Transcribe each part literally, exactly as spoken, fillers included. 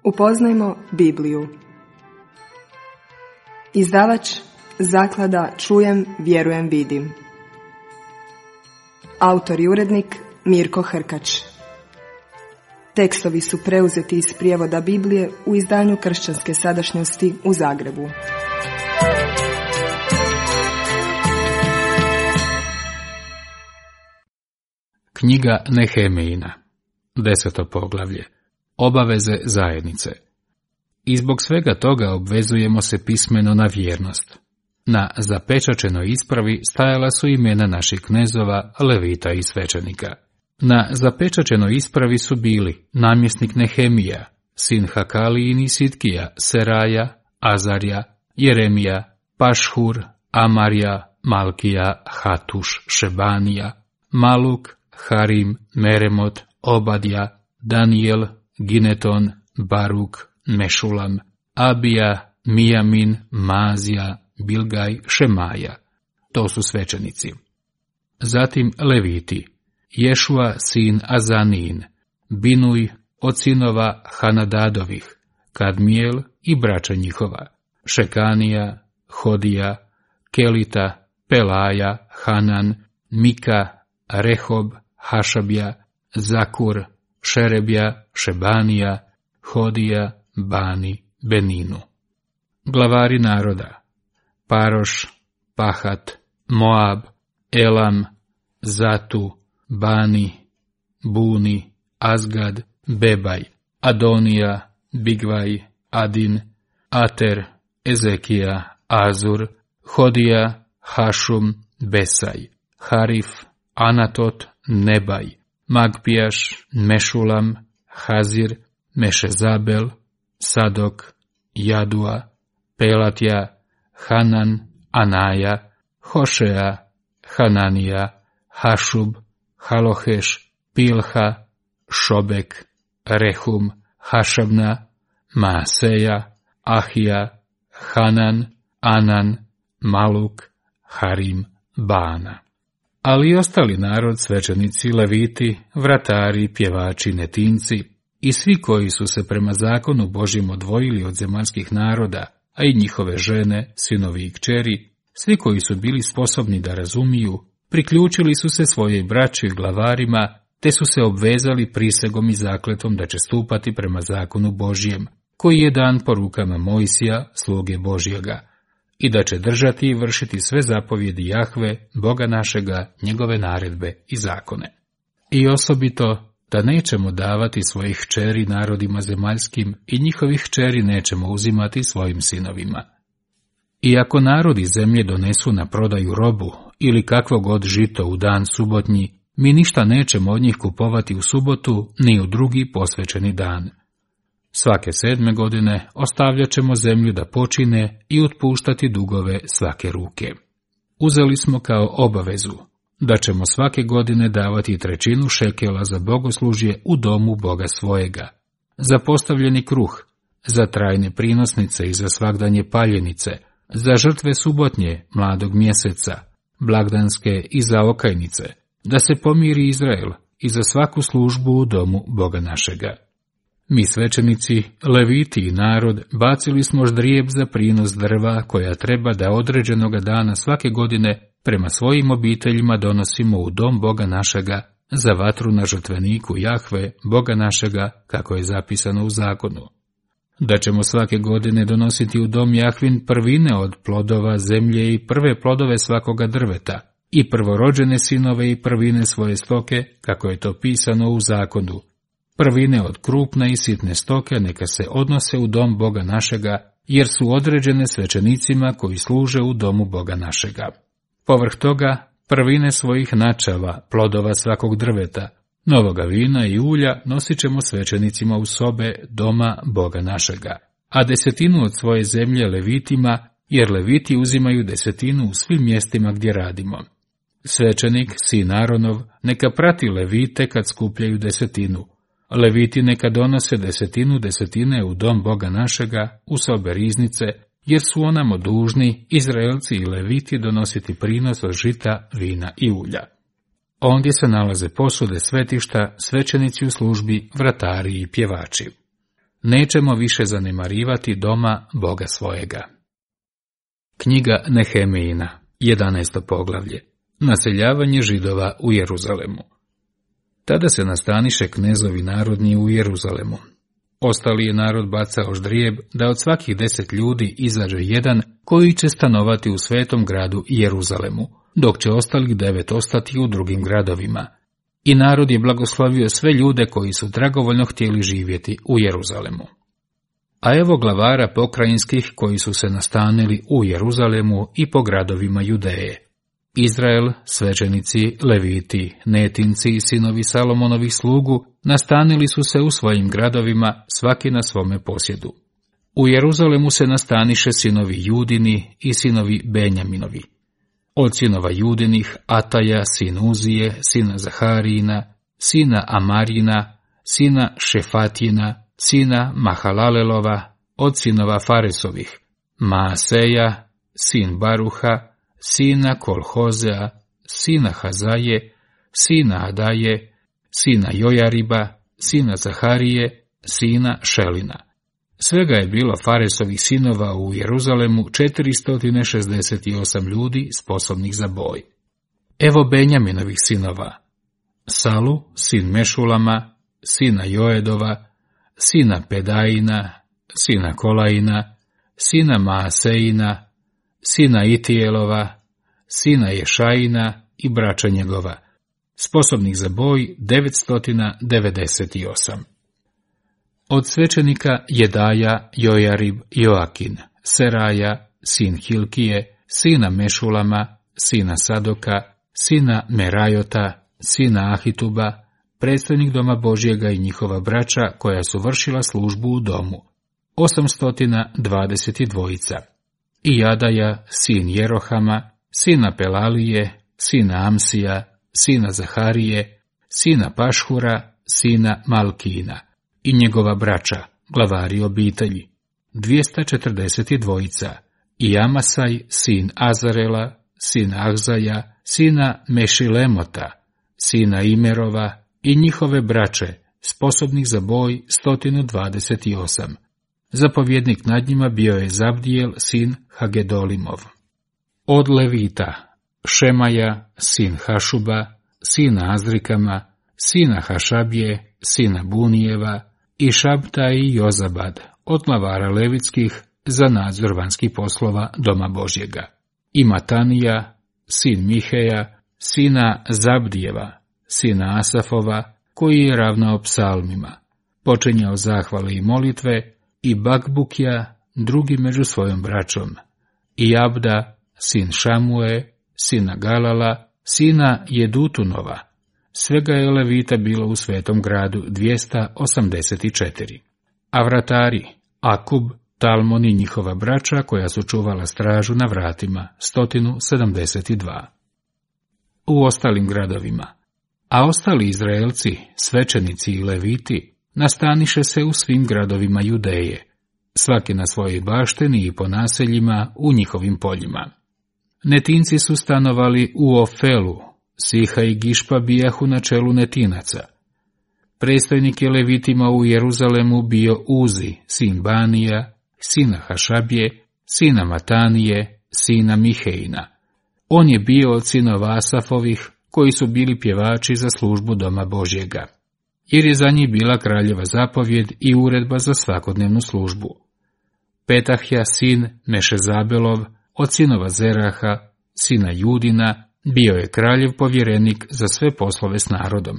Upoznajmo Bibliju. Izdavač Zaklada Čujem, vjerujem, vidim. Autor i urednik Mirko Hrkač. Tekstovi su preuzeti iz prijevoda Biblije u izdanju Kršćanske sadašnjosti u Zagrebu. Knjiga Nehemijina, deseto poglavlje. Obaveze zajednice. I zbog svega toga obvezujemo se pismeno na vjernost. Na zapečačenoj ispravi stajala su imena naših knezova, levita i svećenika. Na zapečačenoj ispravi su bili namjesnik Nehemija, sin Hakalijin i Sitkija, Seraja, Azarja, Jeremija, Pašhur, Amarja, Malkija, Hatuš, Šebanija, Maluk, Harim, Meremot, Obadja, Danijel, Gineton, Baruk, Mešulam, Abija, Mijamin, Mazija, Bilgaj, Šemaja. To su svećenici. Zatim leviti, Ješua sin Azanin, Binuj od sinova Hanadadovih, Kadmijel i braća njihova, Šekanija, Hodija, Kelita, Pelaja, Hanan, Mika, Rehob, Hašabja, Zakur, Šerebja, Šebanija, Hodija, Bani, Beninu. Glavari naroda: Paroš, Pahat, Moab, Elam, Zatu, Bani, Buni, Azgad, Bebaj, Adonija, Bigvaj, Adin, Ater, Ezekija, Azur, Hodija, Hašum, Besaj, Harif, Anatot, Nebaj, Magpijaš, Mešulam, Hazir, Mešezabel, Sadok, Jadua, Pelatja, Hanan, Anaja, Hošea, Hananija, Hašub, Haloheš, Pilha, Šobek, Rehum, Hašabna, Maaseja, Ahija, Hanan, Anan, Maluk, Harim, Bana. Ali i ostali narod, svećenici, leviti, vratari, pjevači, netinci i svi koji su se prema zakonu Božjem odvojili od zemaljskih naroda, a i njihove žene, sinovi i kćeri, svi koji su bili sposobni da razumiju, priključili su se svojoj braći i glavarima, te su se obvezali prisegom i zakletom da će stupati prema zakonu Božjem, koji je dan po rukama Mojsija, sluge Božjega, i da će držati i vršiti sve zapovjedi Jahve, Boga našega, njegove naredbe i zakone. I osobito da nećemo davati svojih kćeri narodima zemaljskim i njihovih kćeri nećemo uzimati svojim sinovima. I ako narodi zemlje donesu na prodaju robu ili kakvo god žito u dan subotnji, mi ništa nećemo od njih kupovati u subotu ni u drugi posvećeni dan. Svake sedme godine ostavljat ćemo zemlju da počine i otpuštati dugove svake ruke. Uzeli smo kao obavezu da ćemo svake godine davati trećinu šekela za bogoslužje u domu Boga svojega, za postavljeni kruh, za trajne prinosnice i za svagdanje paljenice, za žrtve subotnje, mladog mjeseca, blagdanske i za okajnice, da se pomiri Izrael i za svaku službu u domu Boga našega. Mi svećenici, leviti i narod bacili smo ždrijeb za prinos drva koja treba da određenoga dana svake godine prema svojim obiteljima donosimo u dom Boga našega za vatru na žrtveniku Jahve, Boga našega, kako je zapisano u zakonu. Da ćemo svake godine donositi u dom Jahvin prvine od plodova zemlje i prve plodove svakoga drveta, i prvorođene sinove i prvine svoje stoke, kako je to pisano u zakonu. Prvine od krupne i sitne stoke neka se odnose u dom Boga našega, jer su određene svećenicima koji služe u domu Boga našega. Povrh toga, prvine svojih načava, plodova svakog drveta, novoga vina i ulja nosit ćemo svećenicima u sobe doma Boga našega, a desetinu od svoje zemlje levitima, jer leviti uzimaju desetinu u svim mjestima gdje radimo. Svećenik, sin Aronov, neka prati levite kad skupljaju desetinu. Leviti neka donose desetinu desetine u dom Boga našega, u sobe riznice, jer su onamo dužni, Izraelci i leviti, donositi prinos od žita, vina i ulja. Ondje se nalaze posude svetišta, svećenici u službi, vratari i pjevači. nećemo više zanemarivati doma Boga svojega. Knjiga Nehemijina, jedanaesto poglavlje. Naseljavanje Židova u Jeruzalemu. Tada se nastaniše knezovi narodni u Jeruzalemu. Ostali je narod bacao ždrijeb da od svakih deset ljudi izađe jedan koji će stanovati u svetom gradu Jeruzalemu, dok će ostalih devet ostati u drugim gradovima. I narod je blagoslovio sve ljude koji su dragovoljno htjeli živjeti u Jeruzalemu. A evo glavara pokrajinskih koji su se nastanili u Jeruzalemu i po gradovima Judeje. Izrael, svećenici, leviti, netinci i sinovi Salomonovih slugu nastanili su se u svojim gradovima, svaki na svome posjedu. U Jeruzalemu se nastaniše sinovi Judini i sinovi Benjaminovi. Od sinova Judinih Ataja, sin Uzije, sina Zaharijina, sina Amarina, sina Šefatjina, sina Mahalalelova, od sinova Faresovih, Maaseja, sin Baruha, sina Kolhozea, sina Hazaje, sina Adaje, sina Jojariba, sina Zaharije, sina Šelina. Svega je bilo Faresovih sinova u Jeruzalemu četiristo šezdeset osam ljudi sposobnih za boj. Evo Benjaminovih sinova: Salu, sin Mešulama, sina Joedova, sina Pedajina, sina Kolajina, sina Maaseina, sina Itijelova, sina Ješajina i braća njegova, sposobnih za boj devetsto devedeset osam. Od svećenika Jedaja, Jojarib, Joakin, Seraja, sin Hilkije, sina Mešulama, sina Sadoka, sina Merajota, sina Ahituba, predstojnik doma Božjega i njihova braća koja su vršila službu u domu, osamsto dvadeset dva. I Jadaja, sin Jerohama, sina Pelalije, sina Amsija, sina Zaharije, sina Pašhura, sina Malkina, i njegova braća, glavari obitelji, dvjesto četrdeset dva. I Amasaj, sin Azarela, sina Ahzaja, sina Mešilemota, sina Imerova, i njihove braće, sposobnih za boj sto dvadeset osam. Zapovjednik nad njima bio je Zabdijel, sin Hagedolimov. Od Levita, Šemaja, sin Hašuba, sina Azrikama, sina Hašabije, sina Bunijeva, i Šabta i Jozabad, od glavara levitskih, za nadzor vanjskih poslova doma Božjega. I Matanija, sin Miheja, sina Zabdijeva, sina Asafova, koji je ravnao psalmima, počinjao zahvale i molitve, i Bakbukja, drugi među svojom braćom, i Abda, sin Šamue, sina Galala, sina Jedutunova. Svega je levita bilo u svetom gradu dvjesto osamdeset četiri. A vratari, Akub, Talmon i njihova braća koja su čuvala stražu na vratima, sto sedamdeset dva. U ostalim gradovima, a ostali Izraelci, svećenici i leviti, nastaniše se u svim gradovima Judeje, svaki na svojoj baštini i po naseljima u njihovim poljima. Netinci su stanovali u Ofelu, Siha i Gišpa bijahu na čelu netinaca. Predstojnik je levitima u Jeruzalemu bio Uzi, sin Banija, sina Hašabije, sina Matanije, sina Mihejina. On je bio od sinova Asafovih, koji su bili pjevači za službu doma Božjega, jer je za njih bila kraljeva zapovjed i uredba za svakodnevnu službu. Petahja, sin Mešezabelov, od sinova Zeraha, sina Judina, bio je kraljev povjerenik za sve poslove s narodom.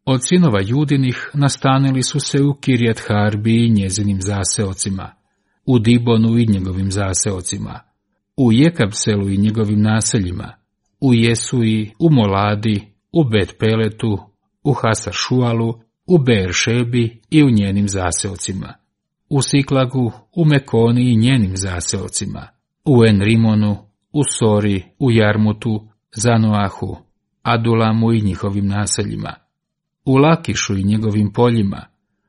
Od sinova Judinih nastanili su se u Kirjat Harbi i njezinim zaseocima, u Dibonu i njegovim zaseocima, u Jekabselu i njegovim naseljima, u Jesuji, u Moladi, u Bet Peletu, u Hasar Šualu, u Beeršebi i u njenim zaseocima, u Siklagu, u Mekoni i njenim zaseocima, u Enrimonu, u Sori, u Jarmutu, Zanoahu, Adulamu i njihovim naseljima, u Lakišu i njegovim poljima,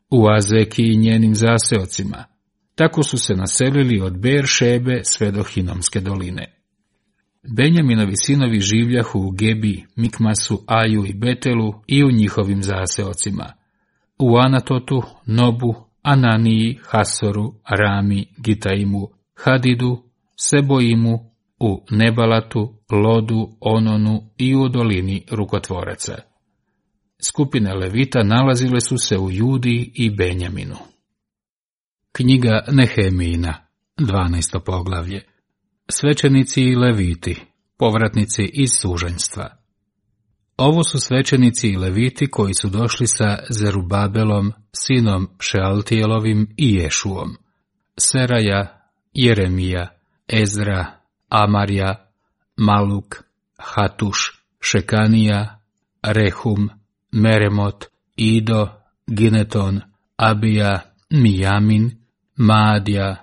u Azeki i njenim zaseocima. Tako su se naselili od Beeršebe sve do Hinomske doline. Benjaminovi sinovi življahu u Gebi, Mikmasu, Aju i Betelu i u njihovim zaseocima, u Anatotu, Nobu, Ananiji, Hasoru, Rami, Gitaimu, Hadidu, Seboimu, u Nebalatu, Lodu, Ononu i u dolini rukotvoraca. Skupine Levita nalazile su se u Judi i Benjaminu. Knjiga Nehemijina, dvanaesto poglavlje. Svećenici i Leviti, povratnici iz sužanjstva. Ovo su svećenici i Leviti koji su došli sa Zerubabelom, sinom Šealtijelovim i Ješuom. Seraja, Jeremija, Ezra, Amarja, Maluk, Hatuš, Šekanija, Rehum, Meremot, Ido, Gineton, Abija, Mijamin, Maadja,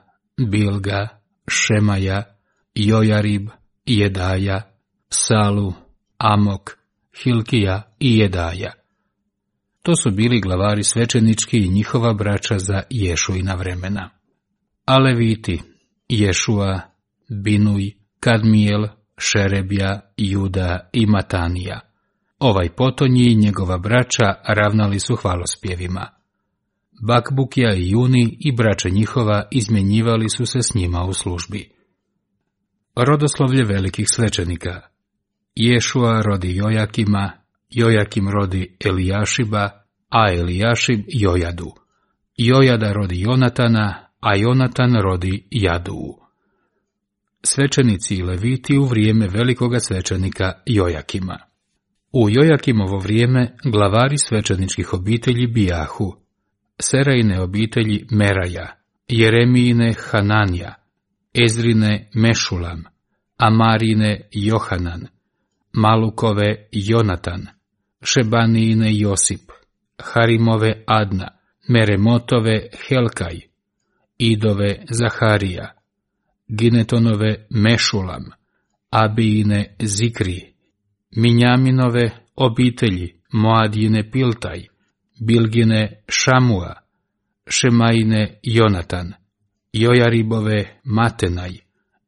Bilga, Šemaja, Jojarib, Jedaja, Salu, Amok, Hilkija i Jedaja. To su bili glavari svećenički i njihova braća za Ješuina vremena. A Leviti, Ješua, Binuj, Kadmijel, Šerebja, Juda i Matanija. Ovaj potonji i njegova braća ravnali su hvalospjevima. Bakbukja i Juni i braća njihova izmjenjivali su se s njima u službi. Rodoslovlje velikih svećenika. Ješua rodi Jojakima, Jojakim rodi Elijašiba, a Elijašib Jojadu. Jojada rodi Jonatana, a Jonatan rodi Jaduu. Svećenici i Leviti u vrijeme velikoga svećenika Jojakima. U Jojakimovo vrijeme glavari svećeničkih obitelji bijahu: Serajine obitelji Meraja, Jeremijine Hananja, Ezrine Mešulam, Amarine Johanan, Malukove Jonatan, Šebanijine Josip, Harimove Adna, Meremotove Helkaj, Idove Zaharija, Ginetonove Mešulam, Abijine Zikri, Minjaminove obitelji Moadjine Piltaj, Bilgine Šamua, Šemajine Jonatan, Jojaribove Matenaj,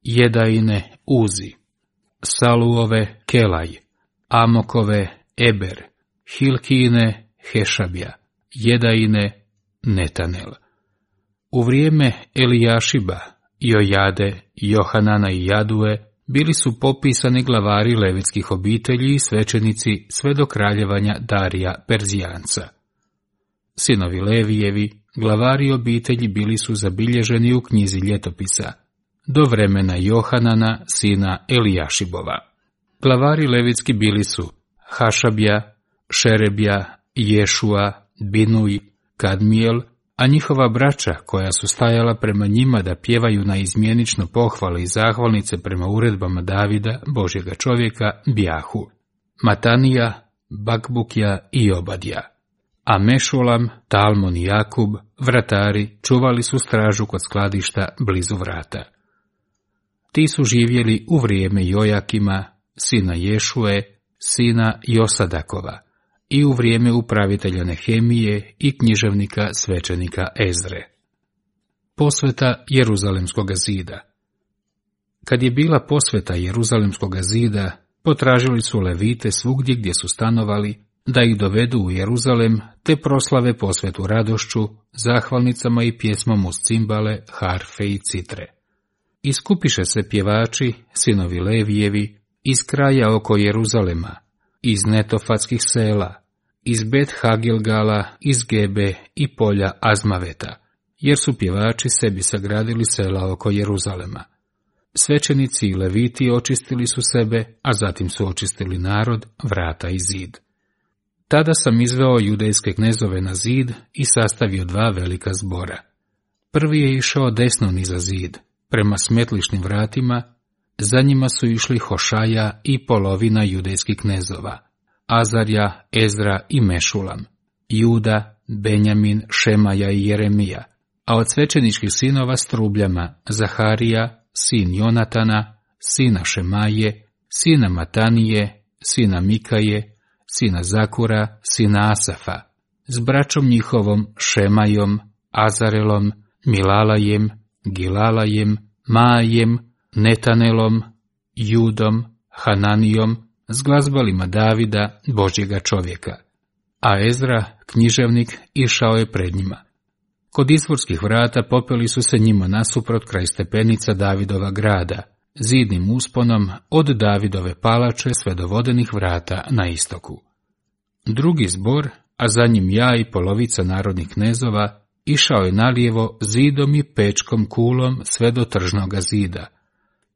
Jedajine Uzi, Saluove Kelaj, Amokove Eber, Hilkijine Hešabja, Jedajine Netanel. U vrijeme Elijašiba, Jojade, Johanana i Jadue bili su popisani glavari levitskih obitelji i svećenici sve do kraljevanja Darija Perzijanca. Sinovi Levijevi, glavari obitelji, bili su zabilježeni u knjizi ljetopisa do vremena Johanana, sina Elijašibova. Glavari levitski bili su Hašabja, Šerebja, Ješua, Binuj, Kadmijel, a njihova braća, koja su stajala prema njima da pjevaju na izmjenično pohvale i zahvalnice prema uredbama Davida, Božjega čovjeka, bjahu: Matanija, Bakbukja i Obadja. A Mešulam, Talmon i Jakub, vratari, čuvali su stražu kod skladišta blizu vrata. Ti su živjeli u vrijeme Jojakima, sina Ješue, sina Josadakova, i u vrijeme upravitelja Nehemije i književnika svećenika Ezre. Posveta Jeruzalemskoga zida. Kad je bila posveta Jeruzalemskoga zida, potražili su Levite svugdje gdje su stanovali, da ih dovedu u Jeruzalem, te proslave posvetu radošću, zahvalnicama i pjesmom uz cimbale, harfe i citre. Iskupiše se pjevači, sinovi Levijevi, iz kraja oko Jeruzalema, iz netofatskih sela, iz Bet Hagilgala, iz Gebe i polja Azmaveta, jer su pjevači sebi sagradili sela oko Jeruzalema. Svećenici i Leviti očistili su sebe, a zatim su očistili narod, vrata i zid. Tada sam izveo judejske knezove na zid i sastavio dva velika zbora. Prvi je išao desno niza zid, prema smetlišnim vratima, za njima su išli Hošaja i polovina judejskih knezova, Azarja, Ezra i Mešulam, Juda, Benjamin, Šemaja i Jeremija, a od svećeničkih sinova s trubljama Zaharija, sin Jonatana, sina Šemaje, sina Matanije, sina Mikaje, sina Zakura, sina Asafa, s braćom njihovom Šemajom, Azarelom, Milalajem, Gilalajem, Majem, Netanelom, Judom, Hananijom, s glazbalima Davida, Božjega čovjeka. A Ezra, književnik, išao je pred njima. Kod izvorskih vrata popeli su se njima nasuprot kraj stepenica Davidova grada, zidnim usponom od Davidove palače sve do vodenih vrata na istoku. Drugi zbor, a za njim ja i polovica narodnih knezova, išao je nalijevo zidom i pečkom kulom sve do tržnoga zida,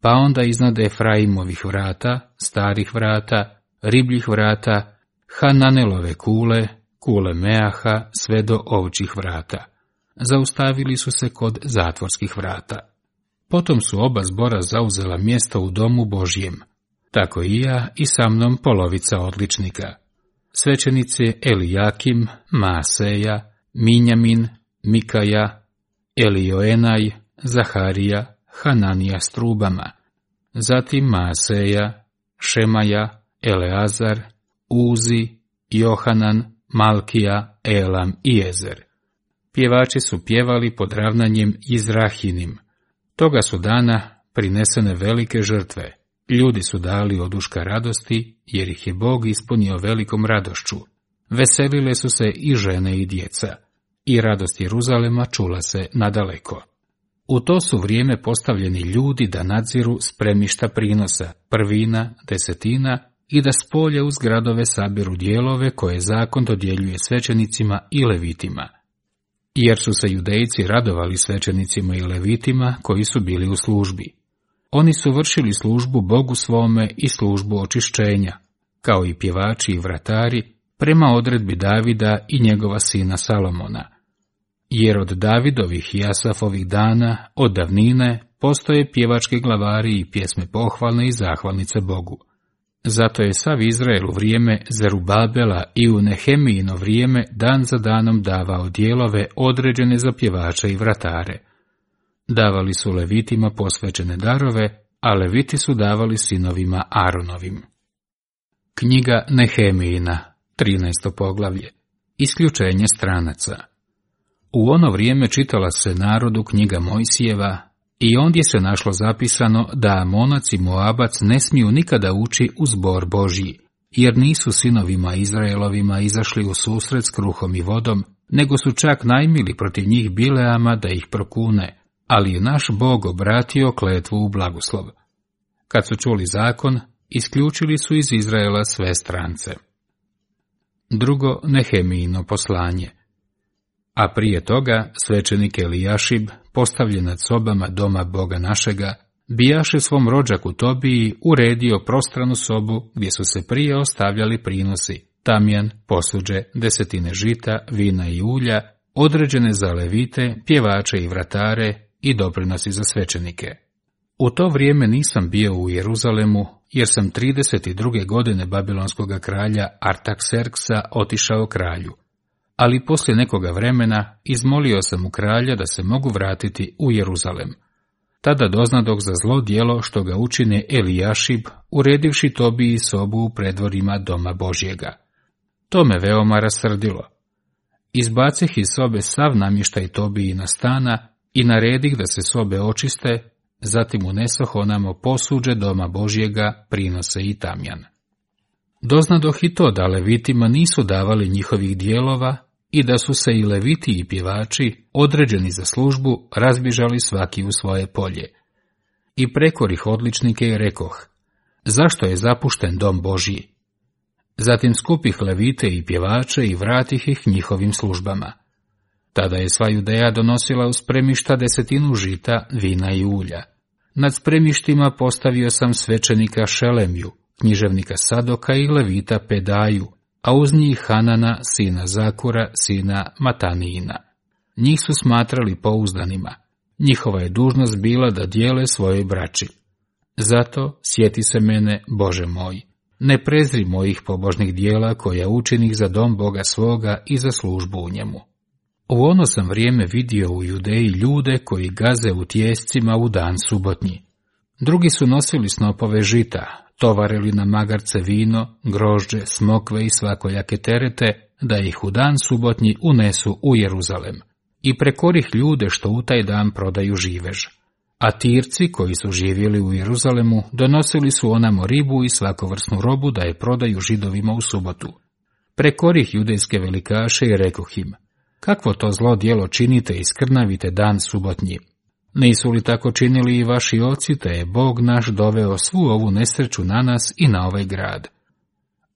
pa onda iznad Efraimovih vrata, starih vrata, ribljih vrata, Hananelove kule, kule Meaha, sve do ovčjih vrata. Zaustavili su se kod zatvorskih vrata. Potom su oba zbora zauzela mjesto u domu Božjem, tako i ja i sa mnom polovica odličnika. Svećenici Elijakim, Maaseja, Minjamin, Mikaja, Elioenaj, Zaharija, Hananija s trubama, zatim Maaseja, Šemaja, Eleazar, Uzi, Johanan, Malkija, Elam i Ezer. Pjevači su pjevali pod ravnanjem Izrahinim. Toga su dana prinesene velike žrtve. Ljudi su dali oduška radosti, jer ih je Bog ispunio velikom radošću. Veselile su se i žene i djeca, i radost Jeruzalema čula se nadaleko. U to su vrijeme postavljeni ljudi da nadziru spremišta prinosa, prvina, desetina, i da s polja uz gradove sabiru dijelove koje zakon dodjeljuje svećenicima i levitima. Jer su se Judejci radovali svećenicima i levitima koji su bili u službi. Oni su vršili službu Bogu svome i službu očišćenja, kao i pjevači i vratari, prema odredbi Davida i njegova sina Salomona. Jer od Davidovih i Asafovih dana, od davnine, postoje pjevački glavari i pjesme pohvalne i zahvalnice Bogu. Zato je sav Izrael u vrijeme Zerubabela i u Nehemijino vrijeme dan za danom davao dijelove određene za pjevače i vratare. Davali su levitima posvećene darove, a leviti su davali sinovima Aronovim. Knjiga Nehemijina, trinaesto poglavlje. Isključenje stranaca. U ono vrijeme čitala se narodu knjiga Mojsijeva, i ondje se našlo zapisano da Amonac i Moabac ne smiju nikada ući u zbor Božji, jer nisu sinovima Izraelovima izašli u susret s kruhom i vodom, nego su čak najmili protiv njih Bileama da ih prokune, ali je naš Bog obratio kletvu u blagoslov. Kad su čuli zakon, isključili su iz Izraela sve strance. Drugo Nehemijino poslanje. A prije toga svećenik Elijašib, postavljen nad sobama doma Boga našega, bijaše svom rođaku Tobiji uredio prostranu sobu gdje su se prije ostavljali prinosi, tamjan, posuđe, desetine žita, vina i ulja, određene za levite, pjevače i vratare i doprinosi za svećenike. U to vrijeme nisam bio u Jeruzalemu, jer sam trideset druge godine babilonskoga kralja Artakserksa otišao kralju. Ali poslije nekoga vremena izmolio sam u kralja da se mogu vratiti u Jeruzalem. Tada doznadoh za zlo djelo što ga učine Elijašib, uredivši Tobiji sobu u predvorima doma Božjega. To me veoma rasrdilo. Izbacih iz sobe sav namještaj Tobijina stana i naredih da se sobe očiste, zatim unesoh onamo posuđe doma Božjega, prinose i tamjan. Doznadoh i to da levitima nisu davali njihovih dijelova i da su se i leviti i pjevači, određeni za službu, razbježali svaki u svoje polje. I prekorih odličnike i rekoh, zašto je zapušten dom Božji? Zatim skupih levite i pjevače i vratih ih njihovim službama. Tada je sva Judeja donosila u spremišta desetinu žita, vina i ulja. Nad spremištima postavio sam svećenika Šelemiju, književnika Sadoka i levita Pedaju, a uz njih Hanana, sina Zakura, sina Matanijina. Njih su smatrali pouzdanima. Njihova je dužnost bila da dijele svojoj braći. Zato sjeti se mene, Bože moj, ne prezri mojih pobožnih dijela koja učinih za dom Boga svoga i za službu u njemu. U ono sam vrijeme vidio u Judeji ljude koji gaze u tijescima u dan subotnji. Drugi su nosili snopove žita, tovarili na magarce vino, grožđe, smokve i svakojake terete, da ih u dan subotnji unesu u Jeruzalem, i prekorih ljude što u taj dan prodaju živež. A Tirci, koji su živjeli u Jeruzalemu, donosili su onamo ribu i svakovrsnu robu da je prodaju Židovima u subotu. Prekorih judejske velikaše i rekoh im, kakvo to zlo djelo činite i skrnavite dan subotnji? Nisu li tako činili i vaši oci, te je Bog naš doveo svu ovu nesreću na nas i na ovaj grad?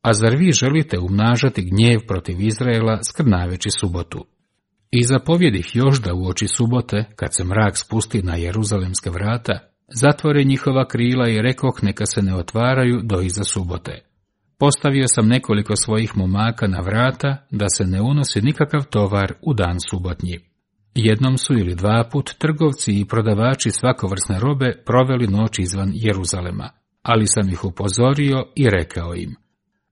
A zar vi želite umnažati gnjev protiv Izraela skrnaveći subotu? I zapovjedih još da uoči subote, kad se mrak spusti na Jeruzalemska vrata, zatvore njihova krila i rekoh neka se ne otvaraju do iza subote. Postavio sam nekoliko svojih momaka na vrata, da se ne unosi nikakav tovar u dan subotnji. Jednom su ili dva put trgovci i prodavači svakovrsne robe proveli noć izvan Jeruzalema, ali sam ih upozorio i rekao im: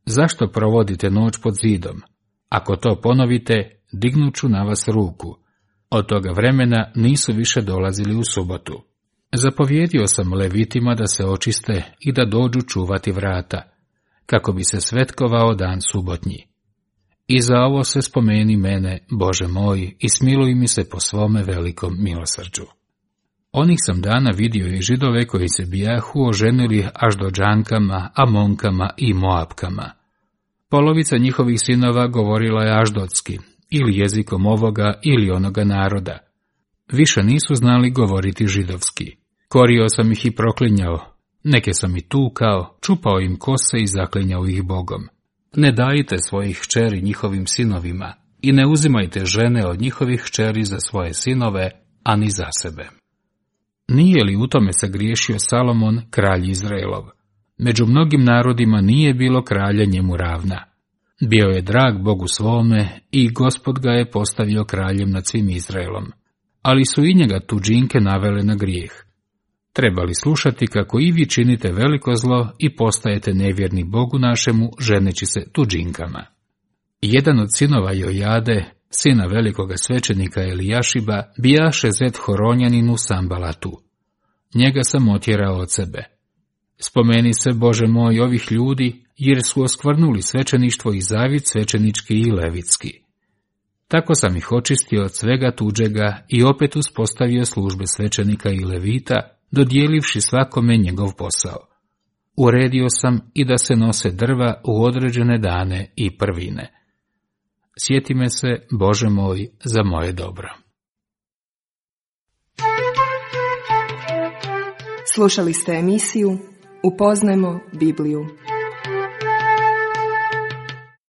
zašto provodite noć pod zidom? Ako to ponovite, dignut ću na vas ruku. Od toga vremena nisu više dolazili u subotu. Zapovjedio sam levitima da se očiste i da dođu čuvati vrata, kako bi se svetkovao dan subotnji. I za ovo se spomeni mene, Bože moj, i smiluj mi se po svome velikom milosrđu. Onih sam dana vidio i Židove koji se bijahu oženili Aždođankama, Amonkama i Moapkama. Polovica njihovih sinova govorila je aždotski, ili jezikom ovoga ili onoga naroda. Više nisu znali govoriti židovski. Korio sam ih i proklinjao, neke sam i tukao, čupao im kose i zaklinjao ih Bogom. Ne dajte svojih kćeri njihovim sinovima i ne uzimajte žene od njihovih kćeri za svoje sinove, ani za sebe. Nije li u tome sagriješio Salomon, kralj Izraelov? Među mnogim narodima nije bilo kralja njemu ravna. Bio je drag Bogu svome i Gospod ga je postavio kraljem nad svim Izraelom. Ali su i njega tuđinke navele na grijeh. Treba li slušati kako i vi činite veliko zlo i postajete nevjerni Bogu našemu, ženeći se tuđinkama? Jedan od sinova Jojade, sina velikoga svećenika Elijašiba, bijaše zet Horonjaninu Sambalatu. Njega sam otjerao od sebe. Spomeni se, Bože moj, ovih ljudi, jer su oskvrnuli svećeništvo i zavid svećenički i levitski. Tako sam ih očistio od svega tuđega i opet uspostavio službe svećenika i levita, dodijelivši svakome njegov posao. Uredio sam i da se nose drva u određene dane i prvine. Sjeti me se, Bože moj, za moje dobro. Slušali ste emisiju Upoznajmo Bibliju.